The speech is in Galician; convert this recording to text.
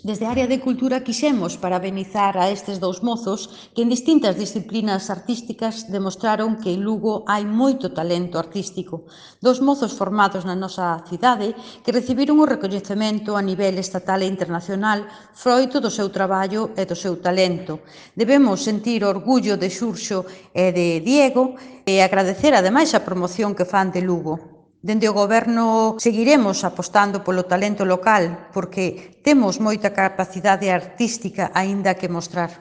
Desde a área de cultura quixemos parabenizar a estes dous mozos que en distintas disciplinas artísticas demostraron que en Lugo hai moito talento artístico. Dos mozos formados na nosa cidade que recibiron o recoñecemento a nivel estatal e internacional froito do seu traballo e do seu talento. Debemos sentir orgullo de Xurxo e de Diego e agradecer ademais a promoción que fan de Lugo. Dende o Goberno seguiremos apostando polo talento local porque temos moita capacidade artística aínda que mostrar.